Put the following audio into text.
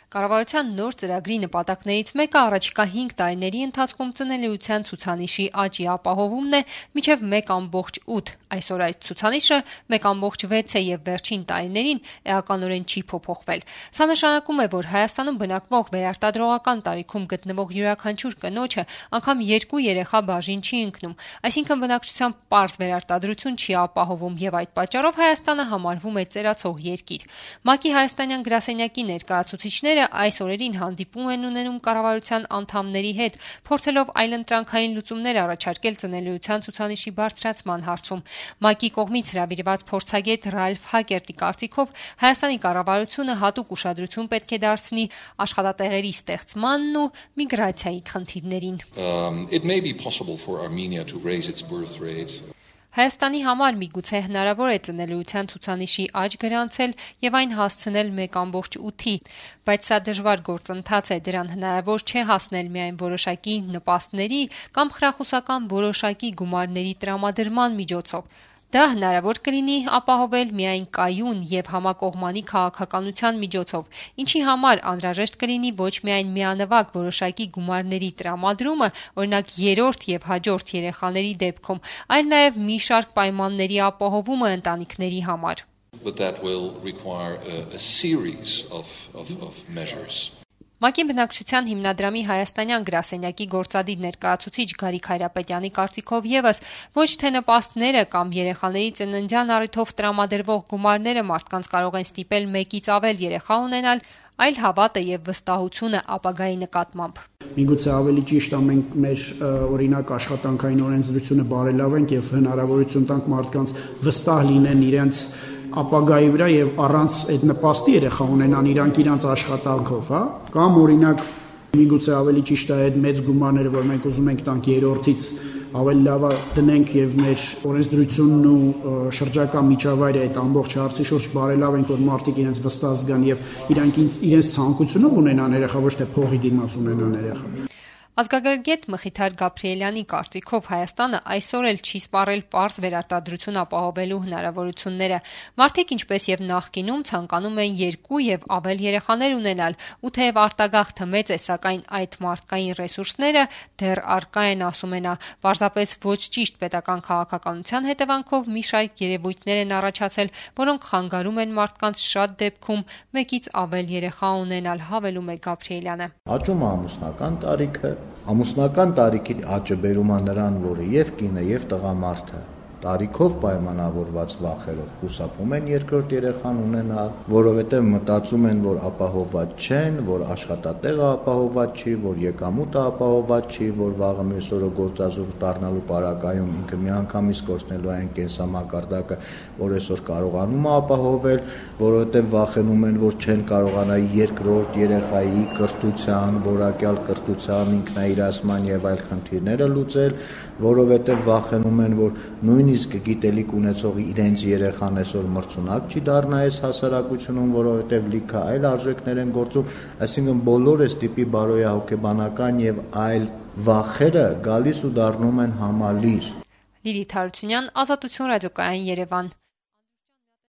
Կառավարության նոր ծրագրի նպատակներից մեկը առաջիկա 5 տարիների ընթացքում ծնելիության ցուցանիշի աճի ապահովումն է մինչև 1.8, այսօր այդ ցուցանիշը 1.6 է եւ վերջին տարիներին էականորեն չի փոփոխվել։ Սա նշանակում է, որ Հայաստանում բնակվող վերարտադրողական տարիքում գտնվող յուրաքանչյուր կնոջը անգամ 2 երեխա բաժին չի ընկնում, այսինքն բնակչության պարզ վերարտադրություն չի ապահովում եւ այդ պատճառով Հայաստանը համարվում է ծերացող երկիր։ ՄԱԿ-ի հայաստանյան գրասենյակի ներկայացուցիչները այս օրերին հանդիպում են ունենում կառավարության անդամների հետ, փորձելով այլընտրանքային լուծումներ առաջարկել ծնելիության ցուցանիշի բարձրացման հարցում։ ՄԱԿ-ի կողմից հրավիրված փորձագետ Ռալֆ Հակերտի կարծիքով Հայաստանի կառավարությունը հատուկ ուշադրություն պետք է դարձնի աշխատատեղերի ստեղծմանն ու միգրացիայի խնդիրներին։ It may be possible for Armenia to raise its birth rate. Հայաստանի համար միգուցե հնարավոր է ծնելիության ցուցանիշի աճ գրանցել եւ այն հասցնել 1.8-ի, բայց սա դժվար գործընթաց է, դրան հնարավոր չէ հասնել միայն որոշակի նպաստների կամ խրախուսական որոշակի գումարների տրամադրման միջոցով։ Դա հնարավոր կլինի ապահովել միայն կայուն եւ համակողմանի քաղաքականության միջոցով, ինչի համար անհրաժեշտ կլինի ոչ միայն միանվագ որոշակի գումարների տրամադրումը, օրինակ երրորդ եւ հաջորդ երեխաների դեպքում, այլ նաեւ մի շարք պայմանների ապահովումը ընտանիքների համար։ But that will require a series of measures. ՄԱԿ-ի բնակչության հիմնադրամի հայաստանյան գրասենյակի գործադիր ներկայացուցիչ Գարիկ Հայրապետյանի կարծիքով եւս ոչ թե նպաստները կամ երեխաների ծննդյան առիթով տրամադրվող գումարները մարդկանց կարող են ստիպել մեկից ավել երեխա ունենալ, այլ հավատը եւ վստահությունը ապագայի նկատմամբ։ Միգուցե ավելի ճիշտ է մենք մեր օրինակ աշխատանքային օրենսդրությունը բարելավենք եւ հնարավորություն տանք մարդկանց վստահ լինեն իրենց ապագայի վրա եւ առանց այդ նպաստի երեխա ունենան իրանք աշխատանքով, հա, կամ օրինակ միգուցե ավելի ճիշտ է այդ մեծ գումարները, որ մենք ուզում ենք տանք երրորդից ավելի լավ դնենք եւ մեր օրենսդրությունն ու շրջակա միջավայրը այդ ամբողջ հարցի շուրջ բարելավենք, որ մարդիկ իրենց վստահ զգան եւ իրենց ցանկությունով ունենան երեխա, ոչ թե փողի դիմաց ունենան երեխա։ Ազգագրագետ Մխիթար Գաբրիելյանի կարծիքով Հայաստանը այսօր էլ չի սպառել պարզ վերարտադրություն ապահովելու հնարավորությունները։ Մարդիկ ինչպես եւ նախկինում ցանկանում են 2 եւ ավել երեխաներ ունենալ, ու թեև արտագաղթը մեծ է, սակայն այդ մարդկային ռեսուրսները դեռ առկա են, ասում են նա, պարզապես ոչ ճիշտ պետական քաղաքականության հետևանքով մի շարք երևույթներ են առաջացել, որոնք խանգարում են մարդկանց շատ դեպքում մեկից ավել երեխա ունենալ, հավելում է Գաբրիելյանը։ Աճում է ամուսնական տարիքը, ամուսնական տարիքի աճը բերում է նրան, որը եւ կինը եւ տղամարդը տարիքով պայմանավորված վախերով խուսափում են երկրորդ երեխան ունենալ, որովհետև մտածում են, որ ապահովված չեն, որ աշխատատեղը ապահովված չի, որ եկամուտը ապահովված չի, որ վաղը մյուս օրը գործազուրկ դառնալու պարագայում ինքը միանգամից կորցնելու այն կենսամակարդակը, որ այսօր կարողանում է ապահովել, որովհետև վախենում են, որ չեն կարողանա երկրորդ երեխայի կրթության, որակյալ կրթության, ինքնաիրացման եւ այլ խնդիրները լուծել, որովհետև վախենում են, որ նույնիսկ գիտելիք ունեցող իրենց երեխան այսօր մրցունակ չի դառնա այս հասարակությունում, որովհետև լիքը այլ արժեքներ են գործում, այսինքն բոլոր այս տիպի բարոյահոգեբանական եւ այլ վախերը գալիս ու դառնում են համալիր։ Լիլիթ Հարությունյան, Ազատություն ռադիոկայան, Երևան։